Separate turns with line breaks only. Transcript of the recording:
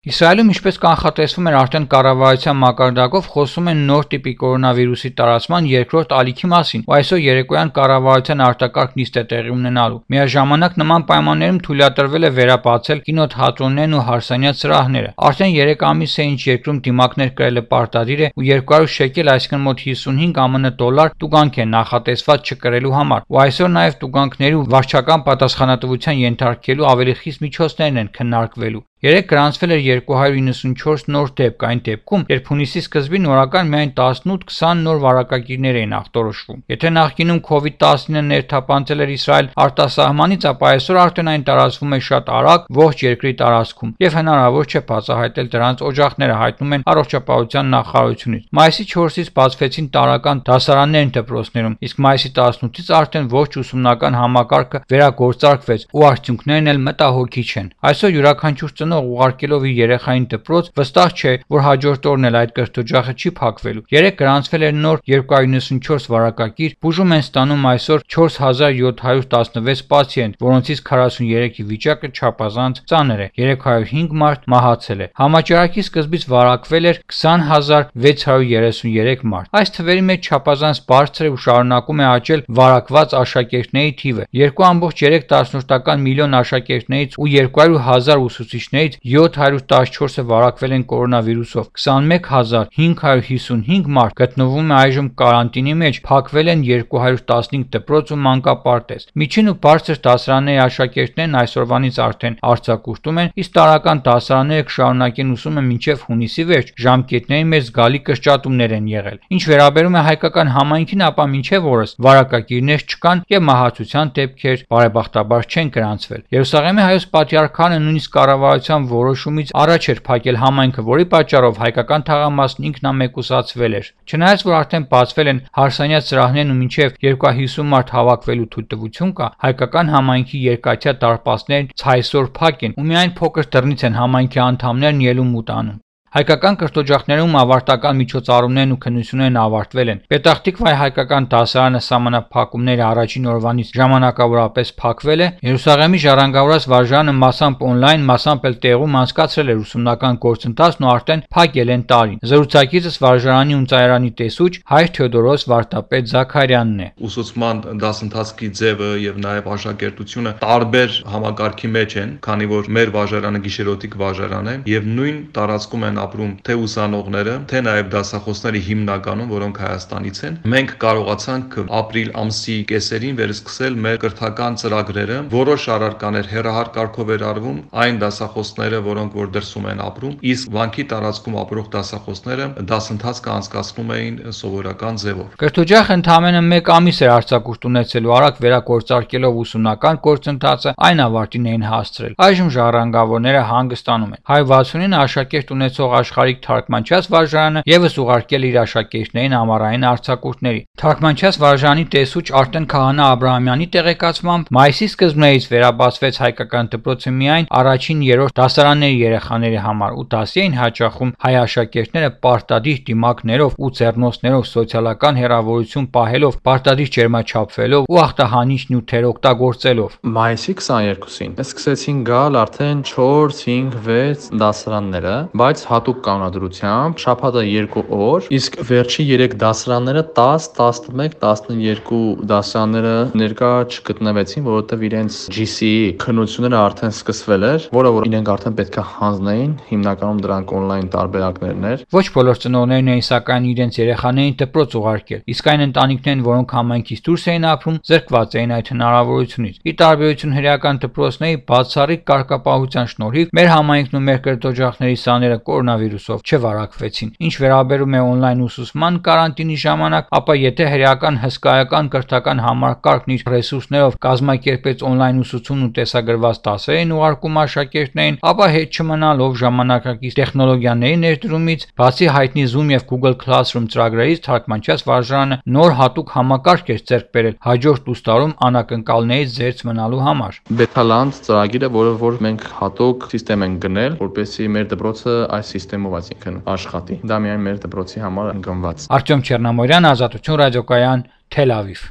Իսրայելում, ինչպես կանխատեսվում էր արդեն կառավարության մակարդակով, խոսում են նոր տիպի կորոնավիրուսի տարածման երկրորդ ալիքի մասին, ու այսօր երեկոյան կառավարության արտակարգ նիստ է տեղի ունենալու։ Միաժամանակ նման պայմաններում թույլատրվել է վերաբացել կինոթատրոններն ու հարսանյաց սրահները։ Արդեն 3 ամիս է ինչ երկրում դիմակներ կրելը պարտադիր է ու 200 շեկել, այսինքն մոտ 55 ԱՄՆ դոլար տուգանք է նախատեսված չկրելու համար, ու այսօր նաև տուգանքների ու վարչական պատասխանատվության ենթարկելու ավելի խիստ միջոցներն են քննարկվելու։ Երեկ գրանցվել էր 294 նոր դեպք, այն դեպքում, երբ հունիսի սկզբին օրական միայն 18-20 նոր վարակագիրներ էին ախտորոշվում։ Եթե նախկինում COVID-19 ներթափանցել էր Իսրայել արտասահմանից, ապա այսօր արդեն այն տարածվում է շատ արագ ողջ երկրի տարածքում, եւ հնարավոր չէ բացահայտել դրանց օջախները, հայտնում են առողջապահության նախարարությունից։ Մայիսի 4-ից բացվեցին տարրական դասարաններն դպրոցներում, իսկ մայիսի 18-ից արդեն ողջ ուսումնական համակարգը վերագործարկվեց ու արդյունքներն էլ մտահոգիչ են։ Այսօր յուրաքանչյուր ուղարկելով իր երեխային դպրոց, վստահ չէ, որ հաջորդ օրն էլ այդ կրթօջախը չի փակվելու։ Երեկ գրանցվել էր նոր 294 վարակագիր, բուժում են ստանում այսօր 4716 պացիենտ, որոնցից 43-ի վիճակը չափազանց ծանր է, 305 մարդ մահացել է։ Համաճարակի սկզբից վարակվել էր 20633 մարդ։ Այս թվերի մեջ չափազանց բարձր է ու շարունակում է աճել վարակված աշակերտների թիվը։ 2.3 միլիոն աշակերտներից ու 200,000 ուսուցիչների 714-ը վարակվել են կորոնավիրուսով, 21555 մարդ գտնվում է այժմ կարանտինի մեջ, փակվել են 215 դպրոց ու մանկապարտեզ։ Միջին ու բարձր դասարանների աշակերտներն այսօրվանից արդեն արձակուրդում են, իսկ տարրական դասարանները կշարունակեն ուսումը մինչև հունիսի վերջ, ժամկետների մեջ զգալի կրճատումներ են եղել։ Ինչ վերաբերում է հայկական համայնքին, ապա մինչև օրս վարակագիրներ չկան եւ մահացության դեպքեր բարեբախտաբար չեն գրանցվել։ Երուսաղեմի հայոց պատրիարքանը նույնիսկ կառավարության որոշումից առաջ էր փակել համայնքը, որի պատճառով հայկական թաղամասն ինքնամեկուսացվել էր։ Չնայած որ արդեն բացվել են հարսանյաց սրահներն ու մինչև 250 մարդ հավաքվելու թույլտվություն կա, հայկական համայնքի երկաթյա դարպասներն ցայսօր փակ են ու միայն փոքր դռնից են համայնքի անդամներն ելում ու տանում։ Հայկական կրթօջախներում ավարտական միջոցառումներն ու քննություններն ավարտվել են։ Պետախտիկվայի հայկական դասարանը սահմանափակումների առաջին օրվանից ժամանակավորապես փակվել է։ Երուսաղեմի ժառանգավորած վարժարանը մասամբ օնլայն, մասամբ էլ տեղում անցկացրել էր ուսումնական գործընթացն ու արդեն փակել են տարին։ Զրուցակիցս վարժարանի ու ծայրանի տեսուչ Հայր Թեոդորոս Վարդապետ Զաքարյանն է։
Ուսուցման դասընթացի ձևը եւ նաեւ աշակերտությունը տարբեր համակարգի մեջ են, քանի որ մեր վարժարանը գիշերօթիկ վարժարան է եւ նույն տարածքում են ապրում թե ուսանողները, թե նաև դասախոսները հիմնականում, որոնք Հայաստանից են։ Մենք կարողացանք ապրիլ ամսի կեսերին վերսկսել մեր կրթական ծրագրերը, որոշ առարկաներ հեռահար կարգով էր արվում, այն դասախոսները, որոնք որ դրսում են ապրում, իսկ վանքի տարածքում ապրող դասախոսները դասընթաց կանցկացնում էին սովորական ձևով։
Կրթօջախը ընդամենը 1 ամիս էր արձակուրդ ունեցելու, արագ վերագործարկելով ուսումնական գործընթացը այն ավարտին էին հասցրել։ Այժմ ժառանգավորները հանգստանում են։ 169 աշակերտ ունեցող Աշխարհիկ թարգմանչված վարժարանը եւս ուղարկել իր աշակերտներին ամառային արձակուրդների։ Թարգմանչված վարժարանի տեսուչ Արտեն Քահանա Աբրահամյանի տեղեկացմամբ մայիսի սկզբներից վերաբացվեց հայկական դպրոցը միայն առաջին 3-րդ դասարանների երեխաների համար ու դասի էին հաճախում հայ աշակերտները պարտադիր դիմակներով ու ձեռնոցներով սոցիալական հեռավորություն պահելով, պարտադիր ջերմաչափվելով ու ախտահանիչ նյութեր օգտագործելով։
Մայիսի 22-ին սկսեցին գալ արդեն 4, 5, 6 դասարանները, բայց հատուկ կանոնադրությամբ շաբաթը 2 օր, իսկ վերջի 3 դասարանները 10, 11, 12 դասարանները ներկա չգտնվեցին, որովհետև իրենց GCE քննությունները արդեն սկսվել էր, որը որ իրենք արդեն պետք է հանձնեին, հիմնականում դրանք օնլայն տարբերակներն էր։
Ոչ բոլոր ծնողներն էին սակայն իրենց երեխաներին դպրոց ուղարկել, իսկ այն ընտանիքներն, որոնք համայնքից դուրս էին ապրում, զրկված էին այդ հնարավորությունից։ Ի տարբերություն հրեական դպրոցների, բացառիկ կարգապահության շնորհիվ մեր համայնքն ու մեր կրթօջախների սաները կորոնավիրուսով չվարակվեցին։ Ինչ վերաբերում է օնլայն ուսուցման կարանտինի ժամանակ, ապա եթե հրեական հսկայական կրթական համակարգն իր ռեսուրսներով կազմակերպեց օնլայն ուսուցումն ու տեսագրված դասերին ուղարկում աշակերտներին, ապա հետ չմնալով ժամանակակից տեխնոլոգիաների ներդրումից, բացի հայտնի Zoom եւ Google Classroom ծրագրերից, թարգմանչված վարժարանը նոր հատուկ համակարգ էր ձեռք բերել հաջորդ ուստարում անակնկալներից զերծ մնալու համար։
Betaland ծրագիրը, որը որ մենք հատուկ համակարգ ենք գնել, որպեսզի մեր դպրոցը այս համակարգով այսինքն աշխատի։ Դա միայն մեր դպրոցի համար ընկնված։
Արտյոմ Չեռնամորյան, Ազատություն ռադիոկայան, Թել Ավիվ։